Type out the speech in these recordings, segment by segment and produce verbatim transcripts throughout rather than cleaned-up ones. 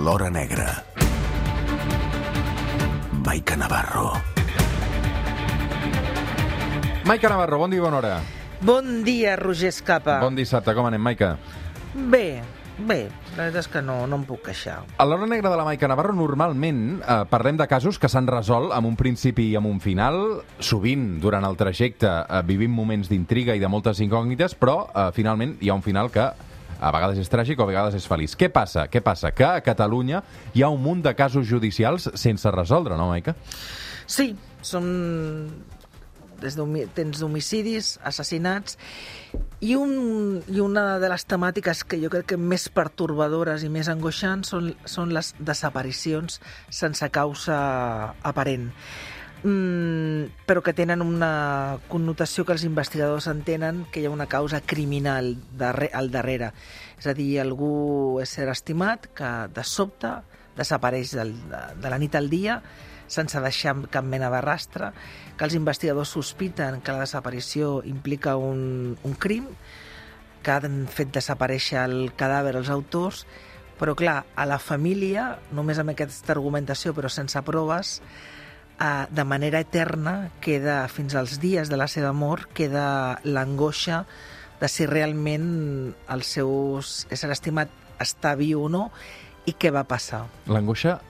L'Hora Negra. Maica Navarro. Maica Navarro, bon dia i bona hora. Bon dia, Roger Escapa. Bon dissabte, com anem, Maica? Bé, bé, la veritat és que no, no em puc queixar. A l'Hora Negra de la Maica Navarro normalment eh, parlem de casos que s'han resolt amb un principi i amb un final. Sovint, durant el trajecte, eh, vivim moments d'intriga i de moltes incògnites, però eh, finalment hi ha un final que a vegades és tràgic o a vegades és feliç. Què passa? Què passa? Que a Catalunya hi ha un munt de casos judicials sense resoldre, no, Maica? Sí, són... Des tens homicidis, assassinats, i, un, i una de les temàtiques que jo crec que més pertorbadores i més angoixants són, són les desaparicions sense causa aparent. Mm, però que tenen una connotació que els investigadors entenen que hi ha una causa criminal darre, al darrere. És a dir, algú és ser estimat que de sobte desapareix del, de, de la nit al dia sense deixar cap mena de rastre, que els investigadors sospiten que la desaparició implica un, un crim, que han fet desaparèixer el cadàver els autors, però clar, a la família, només amb aquesta argumentació però sense proves, eh, de manera eterna, queda fins als dies de la seva mort, queda l'angoixa de si realment el seu ésser estimat està viu o no i què va passar. L'angoixa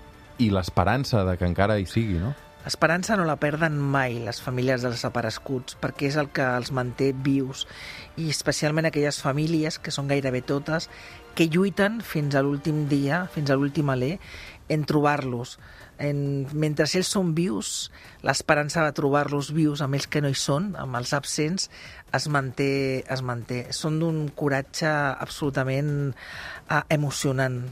i l'esperança de que encara hi sigui, no? L'esperança no la perden mai les famílies dels desapareguts, perquè és el que els manté vius, i especialment aquelles famílies, que són gairebé totes, que lluiten fins a l'últim dia, fins a l'últim alè, en trobar-los. En, mentre ells són vius, l'esperança de trobar-los vius amb ells que no hi són, amb els absents, es manté. Es manté. Són d'un coratge absolutament eh, emocionant.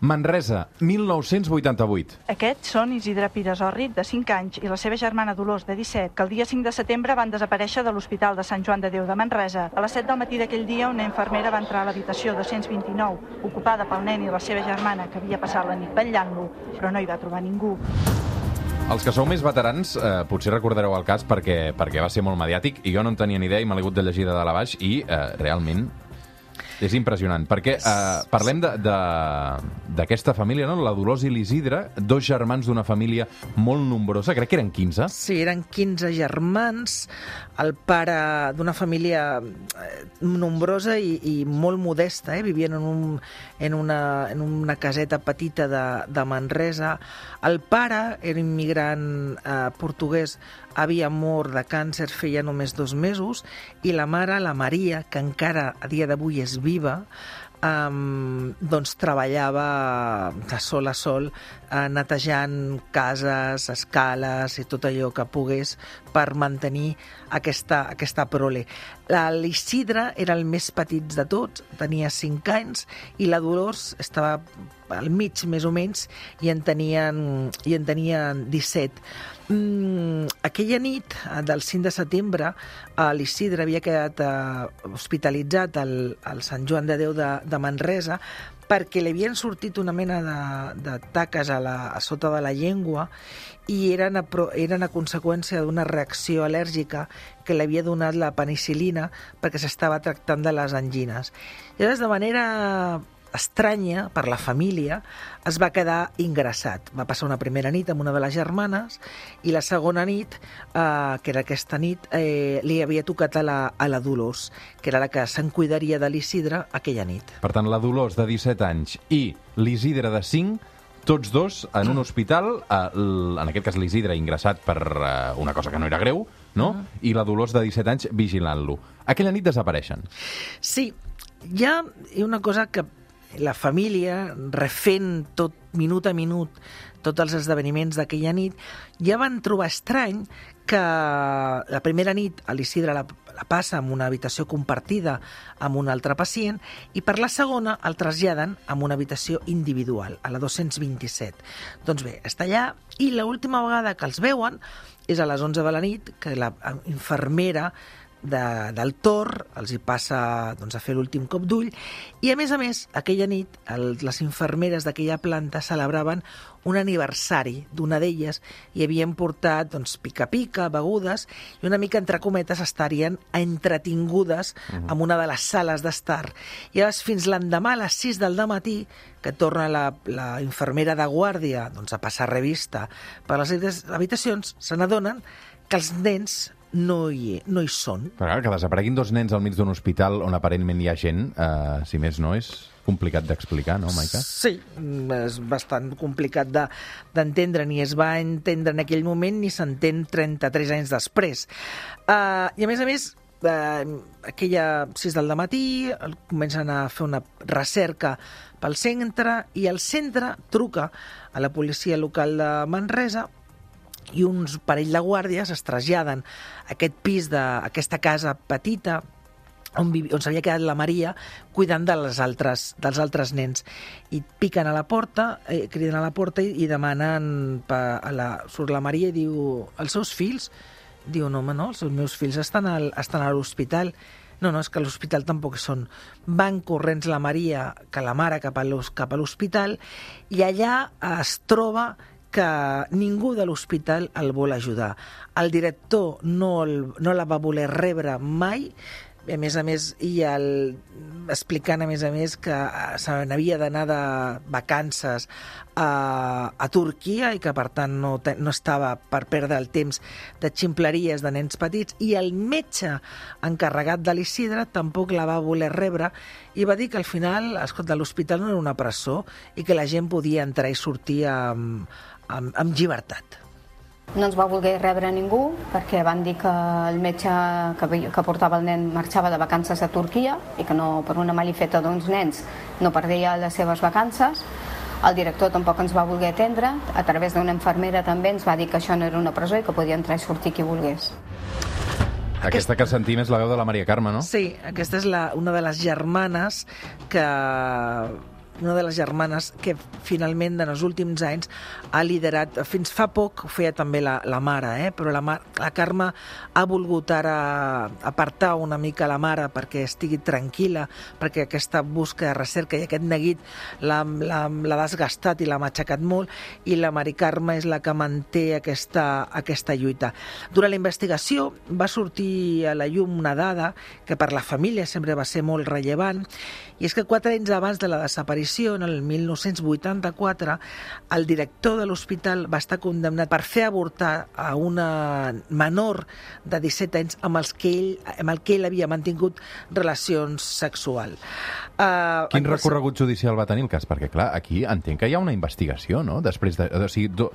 Manresa, mil nou-cents vuitanta-vuit. Aquests són Isidre Pires-Orrit, de cinc anys, i la seva germana Dolors, de disset, que el dia cinc de setembre van desaparèixer de l'Hospital de Sant Joan de Déu de Manresa. A les set del matí d'aquell dia, una infermera va entrar a l'habitació dos-cents vint-i-nou, ocupada pel nen i la seva germana, que havia passat la nit vetllant-lo, però no hi va trobar ningú. Els que sou més veterans eh, potser recordareu el cas perquè, perquè va ser molt mediàtic, i jo no en tenia ni idea i me l'he hagut de llegir de dalt a baix, i eh, realment... és impressionant, perquè eh, parlem d'aquesta família, no? La Dolors i l'Isidre, dos germans d'una família molt nombrosa, crec que eren quinze. Sí, eren quinze germans, el pare d'una família nombrosa i, i molt modesta, eh? Vivien en, un, en, una, en una caseta petita de, de Manresa. El pare era immigrant eh, portuguès, havia mort de càncer feia només dos mesos, i la mare, la Maria, que encara a dia d'avui és viva, um, doncs treballava de sol a sol, uh, netejant cases, escales i tot allò que pogués per mantenir aquesta, aquesta prole. L'Isidre era el més petit de tots, tenia cinc anys, i la Dolors estava al mig, més o menys, i en tenien, i en tenien disset. Mm, aquella nit del cinc de setembre, l'Isidre havia quedat eh, hospitalitzat al, al Sant Joan de Déu de, de Manresa perquè li havien sortit una mena de, de taques a, la, a sota de la llengua i eren a, eren a conseqüència d'una reacció al·lèrgica que li havia donat la penicil·lina perquè s'estava tractant de les angines. I llavors, de manera estranya per la família, es va quedar ingressat. Va passar una primera nit amb una de les germanes i la segona nit, eh, que era aquesta nit, eh, li havia tocat a la, a la Dolors, que era la que se'n cuidaria de l'Isidre aquella nit. Per tant, la Dolors de disset anys i l'Isidre de cinc, tots dos en un hospital, eh, en aquest cas l'Isidre ingressat per eh, una cosa que no era greu, no? Uh -huh. I la Dolors de disset anys vigilant-lo. Aquella nit desapareixen. Sí, hi ha una cosa que la família, refent tot minut a minut tots els esdeveniments d'aquella nit, ja van trobar estrany que la primera nit l'Isidre la, la passa en una habitació compartida amb un altre pacient i per la segona el traslladen en una habitació individual, a la dos-cents vint-i-set. Doncs bé, està allà i l'última vegada que els veuen és a les onze de la nit, que la infermera de, del Tor, els hi passa doncs, a fer l'últim cop d'ull, i a més a més, aquella nit, el, les infermeres d'aquella planta celebraven un aniversari d'una d'elles i havien portat doncs, pica-pica, begudes, i una mica, entre cometes, estarien entretingudes uh-huh. en una de les sales d'estar. I llavors, fins l'endemà, a les sis del dematí, que torna la, la infermera de guàrdia doncs, a passar revista per les habitacions, se n'adonen que els nens no hi, no hi són. Però que desapareguin dos nens al mig d'un hospital on aparentment hi ha gent, eh, si més no, és complicat d'explicar, no, Maica? Sí, és bastant complicat de, d'entendre, ni es va entendre en aquell moment ni s'entén trenta-tres anys després. Uh, I a més a més, uh, aquella sis del dematí comencen a fer una recerca pel centre i el centre truca a la policia local de Manresa i uns parell de guàrdies es traslladen a aquest pis, de, a aquesta casa petita on, on s'havia quedat la Maria cuidant de les altres, dels altres nens. I piquen a la porta, eh, criden a la porta i, i demanen... Pa, a la, surt la Maria i diu... Els seus fills? Diu, no, home, no, els meus fills estan, al, estan a l'hospital. No, no, és que a l'hospital tampoc són. Van corrents la Maria, que la mare, cap a l'hospital, i allà es troba que ningú de l'hospital el vol ajudar. El director no, el, no la va voler rebre mai, a més a més, i el, explicant a més a més que se n'havia d'anar de vacances a, a Turquia i que per tant no, no estava per perdre el temps de ximpleries de nens petits, i el metge encarregat de l'Isidre tampoc la va voler rebre i va dir que al final, escolta, l'hospital no era una presó i que la gent podia entrar i sortir amb, amb, amb llibertat. No ens va voler rebre ningú perquè van dir que el metge que, que portava el nen marxava de vacances a Turquia i que no, per una malifeta d'uns nens no perdria les seves vacances. El director tampoc ens va voler atendre. A través d'una infermera també ens va dir que això no era una presó i que podia entrar i sortir qui volgués. Aquesta que sentim és la veu de la Maria Carme, no? Sí, aquesta és la, una de les germanes que... una de les germanes que finalment en els últims anys ha liderat, fins fa poc ho feia també la, la mare, eh? però la, la Carme ha volgut ara apartar una mica la mare perquè estigui tranquil·la, perquè aquesta busca de recerca i aquest neguit l'ha desgastat i l'ha matxacat molt, i la Mari Carme és la que manté aquesta, aquesta lluita. Durant la investigació va sortir a la llum una dada que per la família sempre va ser molt rellevant, i és que quatre anys abans de la desaparició, en el mil nou-cents vuitanta-quatre, el director de l'hospital va estar condemnat per fer avortar a una menor de disset anys amb, els que ell, amb el que ell havia mantingut relacions sexuals. Uh, Quin recorregut judicial va tenir el cas? Perquè, clar, aquí entenc que hi ha una investigació, no? Després de... O sigui, do,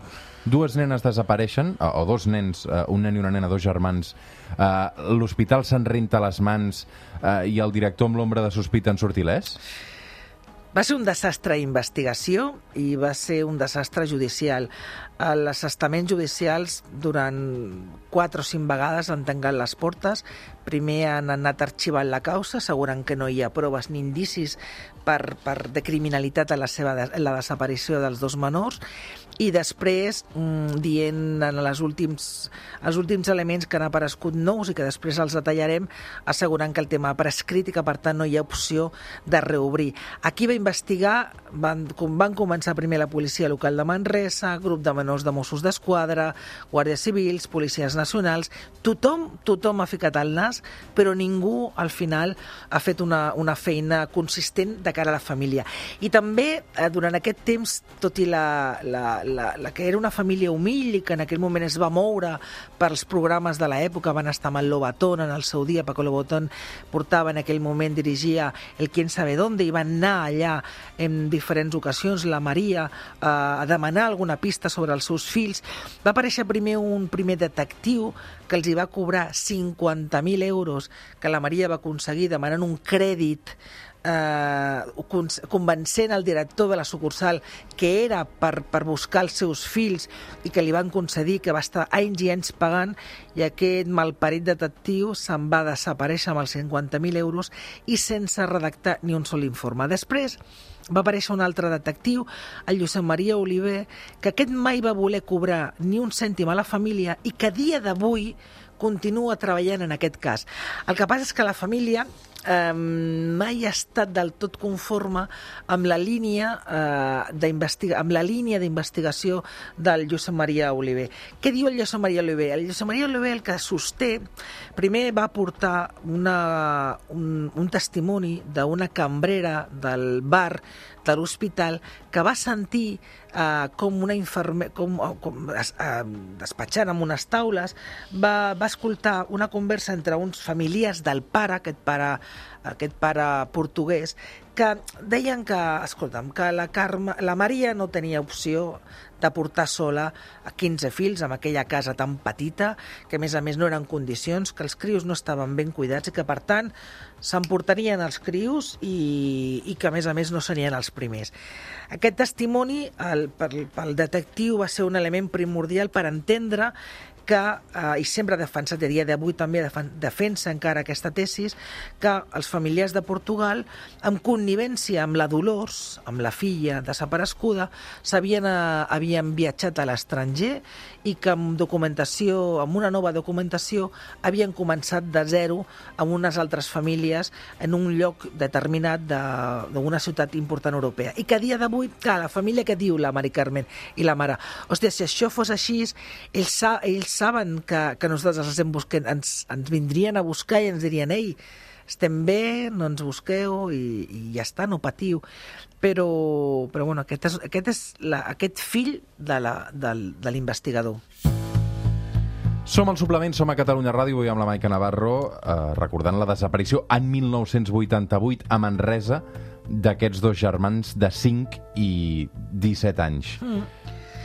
dues nenes desapareixen, o dos nens, un nen i una nena, dos germans, uh, l'hospital se'n renta les mans uh, i el director amb l'ombra de sospita en surt il·lès? Va ser un desastre d'investigació i va ser un desastre judicial. Els estaments judicials durant quatre o cinc vegades han tancat les portes. Primer han anat arxivant la causa, assegurant que no hi ha proves ni indicis per, per de criminalitat en la, seva, en la desaparició dels dos menors, i després mmm, dient en les últims, els últims elements que han aparegut nous i que després els detallarem, assegurant que el tema ha prescrit i que per tant no hi ha opció de reobrir. Aquí va investigar, van, van començar primer la policia local de Manresa, grup de menors de Mossos d'Esquadra, guàrdies civils, policies nacionals, tothom, tothom ha ficat el nas, però ningú al final ha fet una, una feina consistent de cara a la família. I també eh, durant aquest temps, tot i la, la, la, la que era una família humil i que en aquell moment es va moure pels programes de l'època, van estar amb el Lobatón en el seu dia, Paco Lobatón portava en aquell moment, dirigia el Quién sabe dónde, i van anar allà en diferents ocasions, la Maria, eh, a demanar alguna pista sobre els seus fills. Va aparèixer primer un primer detectiu que els hi va cobrar cinquanta mil euros, que la Maria va aconseguir demanant un crèdit, eh, convencent el director de la sucursal que era per, per buscar els seus fills i que li van concedir, que va estar anys i anys pagant, i aquest malparit detectiu se'n va desaparèixer amb els cinquanta mil euros i sense redactar ni un sol informe. Després va aparèixer un altre detectiu, el Josep Maria Oliver, que aquest mai va voler cobrar ni un cèntim a la família i que a dia d'avui continua treballant en aquest cas. El que passa és que la família eh, mai ha estat del tot conforme amb la línia eh, d'investiga- amb la línia d'investigació del Josep Maria Oliver. Què diu el Josep Maria Oliver? El Josep Maria Oliver el que sosté, primer va portar una, un, un testimoni d'una cambrera del bar de l'hospital que va sentir eh, com una infermera, com, com es, eh, despatxant amb unes taules, va, va escoltar una conversa entre uns familiars del pare, aquest pare, aquest pare portuguès, que deien que, escolta'm, que la, Carme, la Maria no tenia opció de portar sola a quinze fills en aquella casa tan petita, que a més a més no eren condicions, que els crios no estaven ben cuidats i que per tant s'emportarien els crios i, i que a més a més no serien els primers. Aquest testimoni el, pel, pel detectiu va ser un element primordial per entendre que, eh, i sempre ha defensat, a dia d'avui també defensa encara aquesta tesis, que els familiars de Portugal, amb connivència amb la Dolors, amb la filla desapareguda, s'havien eh, havien viatjat a l'estranger i que amb documentació, amb una nova documentació, havien començat de zero amb unes altres famílies en un lloc determinat d'una ciutat important europea. I que a dia d'avui, clar, la família que diu la Mari Carmen i la mare, hòstia, si això fos així, ells, ells saben que, que nosaltres els estem buscant, ens, ens vindrien a buscar i ens dirien, ei, estem bé, no ens busqueu i, i ja està, no patiu. Però, però bueno, aquest és, aquest és la, aquest fill de la, del, de l'investigador. Som al Suplement, som a Catalunya Ràdio, avui amb la Maica Navarro, eh, recordant la desaparició en mil nou-cents vuitanta-vuit a Manresa d'aquests dos germans de cinc i disset anys. Mm.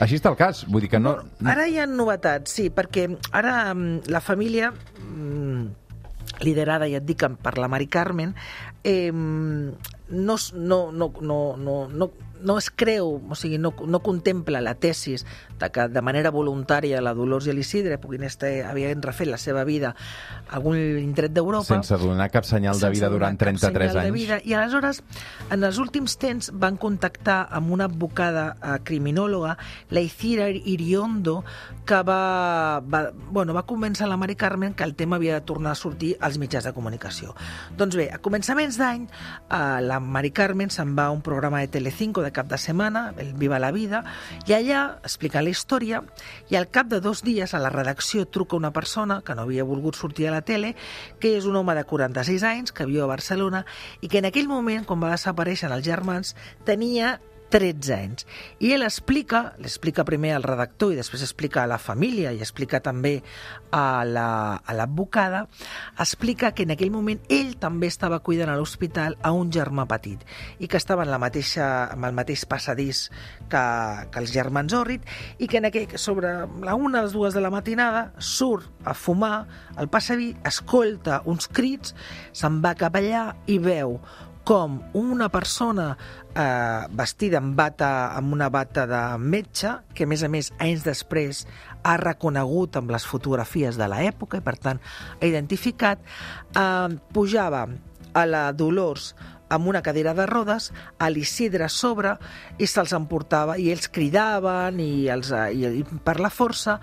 Així està el cas, vull dir que no... Ara hi ha novetats, sí, perquè ara la família, liderada, ja et dic, per la Mari Carmen, eh, no, no, no, no, no, no, no es creu, o sigui, no, no contempla la tesis de que de manera voluntària la Dolors i l'Isidre puguin estar, havien refet la seva vida a algun indret d'Europa. Sense donar cap senyal de vida durant trenta-tres anys. Vida. I aleshores, en els últims temps, van contactar amb una advocada eh, criminòloga, la Icira Iriondo, que va, va, bueno, va convèncer la Mari Carmen que el tema havia de tornar a sortir als mitjans de comunicació. Doncs bé, a començaments d'any, eh, la Mari Carmen se'n va a un programa de Telecinco de cap de setmana, el Viva la Vida, i allà explica la història, i al cap de dos dies a la redacció truca una persona que no havia volgut sortir a la tele, que és un home de quaranta-sis anys, que viu a Barcelona, i que en aquell moment, quan va desaparèixer els germans, tenia tretze anys. I ell explica, l'explica primer al redactor i després explica a la família i explica també a l'advocada, la, explica que en aquell moment ell també estava cuidant a l'hospital a un germà petit i que estava en la mateixa, amb el mateix passadís que, que els germans Òrrit i que en aquell, sobre la una o les dues de la matinada surt a fumar al passadís, escolta uns crits, se'n va cap allà i veu com una persona eh, vestida amb, bata, amb una bata de metge, que a més a més anys després ha reconegut amb les fotografies de l'època i per tant ha identificat, eh, pujava a la Dolors amb una cadira de rodes, a l'Isidre a sobre, i se'ls emportava, i ells cridaven, i, els, i, i per la força,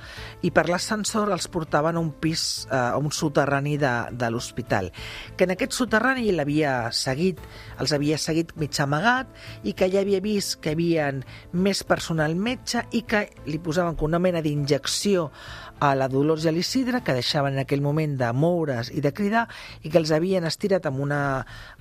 i per l'ascensor els portaven a un pis, a un soterrani de, de l'hospital. Que en aquest soterrani l'havia seguit, els havia seguit mig amagat, i que ja havia vist que hi havia més personal metge, i que li posaven com una mena d'injecció a la Dolors i a l'Isidre, que deixaven en aquell moment de moure's i de cridar, i que els havien estirat amb, una,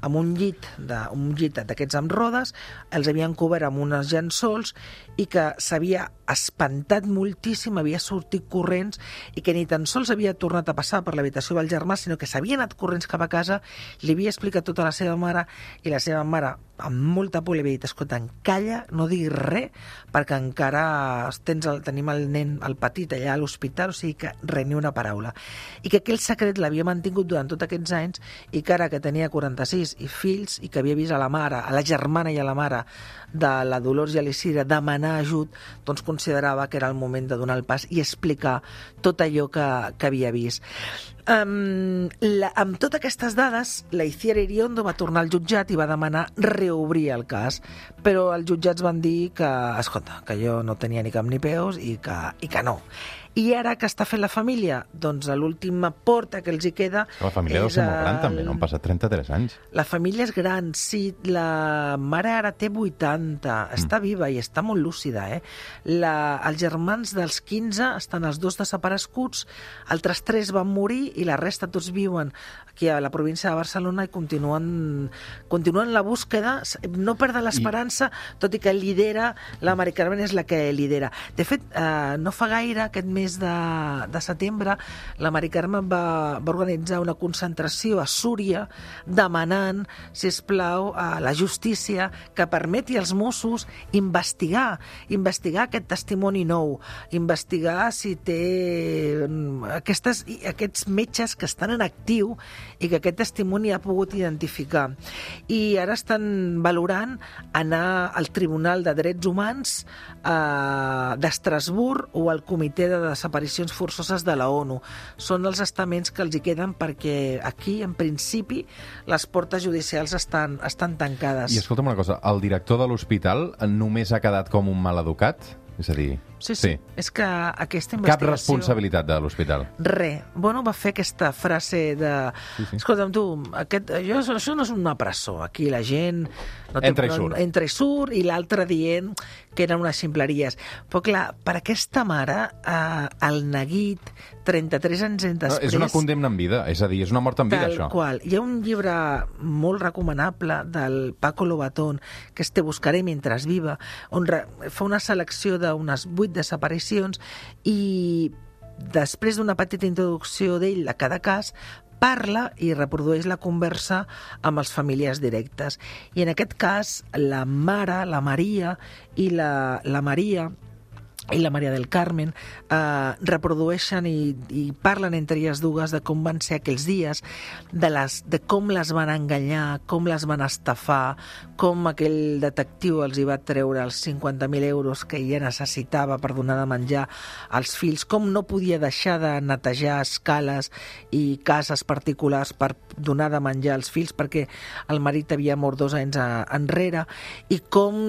amb un llit de, un llit d'aquests amb rodes, els havien cobert amb unes llençols i que s'havia espantat moltíssim, havia sortit corrents i que ni tan sols havia tornat a passar per l'habitació del germà, sinó que s'havia anat corrents cap a casa, li havia explicat tot a la seva mare i la seva mare, amb molta por, li havia dit, escolta, calla, no diguis res, perquè encara tens el, tenim el nen, el petit, allà a l'hospital, o sigui que res, ni una paraula. I que aquell secret l'havia mantingut durant tots aquests anys i que ara que tenia quaranta-sis i fills i que havia vist a la mare, a la germana i a la mare de la Dolors i a l'Isidre demanar ajut, doncs considerava que era el moment de donar el pas i explicar tot allò que, que havia vist. Um, la, amb totes aquestes dades, la Icira Iriondo va tornar al jutjat i va demanar reobrir el cas, però els jutjats van dir que, escolta, que jo no tenia ni cap ni peus i que, i que no. I ara què està fent la família? Doncs l'última porta que els hi queda... La família deu ser molt gran, també, no? Han passat trenta-tres anys. La família és gran, sí. La mare ara té vuitanta, està viva i està molt lúcida, eh? La, els germans dels quinze estan els dos desapareguts, altres tres van morir i la resta tots viuen aquí a la província de Barcelona i continuen, continuen la búsqueda, no perden l'esperança, tot i que lidera, la Mari Carmen és la que lidera. De fet, eh, no fa gaire, aquest mes de, de setembre, la Mari Carmen va, va organitzar una concentració a Súria demanant, sisplau, a la justícia que permeti als Mossos investigar, investigar aquest testimoni nou, investigar si té aquestes, aquests metges que estan en actiu i que aquest testimoni ha pogut identificar. I ara estan valorant anar al Tribunal de Drets Humans eh, d'Estrasburg o al Comitè de Desaparicions Forçoses de la ONU. Són els estaments que els hi queden perquè aquí, en principi, les portes judicials estan, estan tancades. I escolta'm una cosa, el director de l'hospital només ha quedat com un maleducat? És a dir... Sí, sí, sí. És que aquesta investigació... Cap responsabilitat de l'hospital. Re. Bueno, va fer aquesta frase de... Sí, sí. Escolta'm, tu, aquest, jo, això no és una presó. Aquí la gent... No té, entra i surt. No, entra i surt, i l'altre dient que eren unes ximpleries. Però clar, per aquesta mare, eh, el neguit, trenta-tres anys després... No, és una condemna en vida, és a dir, és una mort en vida, tal això. Qual. Hi ha un llibre molt recomanable del Paco Lobatón, que és Te buscaré mentre viva, on fa una selecció d'unes vuit desaparicions i després d'una petita introducció d'ell a cada cas parla i reprodueix la conversa amb els familiars directes. I en aquest cas, la mare, la Maria i la, la Maria i la Maria del Carmen eh, reprodueixen i, i parlen entre elles dues de com van ser aquells dies, de, les, de com les van enganyar, com les van estafar, com aquell detectiu els hi va treure els cinquanta mil euros que ella necessitava per donar de menjar als fills, com no podia deixar de netejar escales i cases particulars per donar de menjar als fills perquè el marit havia mort dos anys a, enrere, i com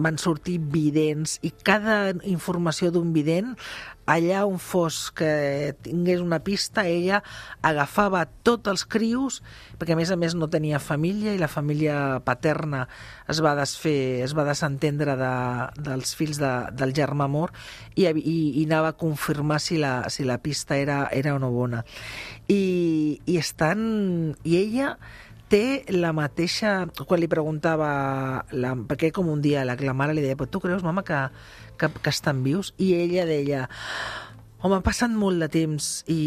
van sortir vidents, i cada informació d'un vident, allà on fos que tingués una pista, ella agafava tots els crios, perquè a més a més no tenia família i la família paterna es va desfer, es va desentendre de, dels fills de, del germà mort i, i, i anava a confirmar si la, si la pista era, era o no bona. I, i estan... I ella té la mateixa... Quan li preguntava... La, perquè com un diàleg, la mare li deia, però tu creus, mama, que, que, que estan vius? I ella deia, home, ha passat molt de temps i,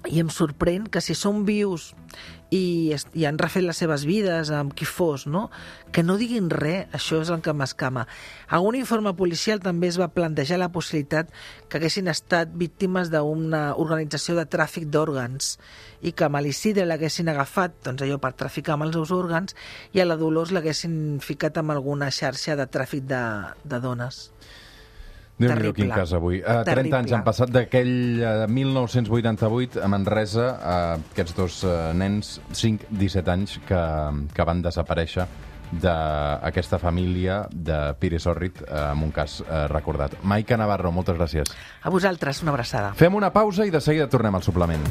i em sorprèn que si són vius i, i han refet les seves vides amb qui fos, no? Que no diguin res, això és el que m'escama. A un informe policial també es va plantejar la possibilitat que haguessin estat víctimes d'una organització de tràfic d'òrgans i que a l'Isidre l'haguessin agafat, doncs allò, per traficar amb els seus òrgans, i a la Dolors l'haguessin ficat amb alguna xarxa de tràfic de, de dones. Déu-n'hi-do, quin cas avui. Uh, trenta anys han passat d'aquell uh, mil nou-cents vuitanta-vuit a Manresa, uh, aquests dos uh, nens, cinc disset anys, que, que van desaparèixer d'aquesta família de Pires Orrit, uh, amb un cas uh, recordat. Maica Navarro, moltes gràcies. A vosaltres, una abraçada. Fem una pausa i de seguida tornem al suplement.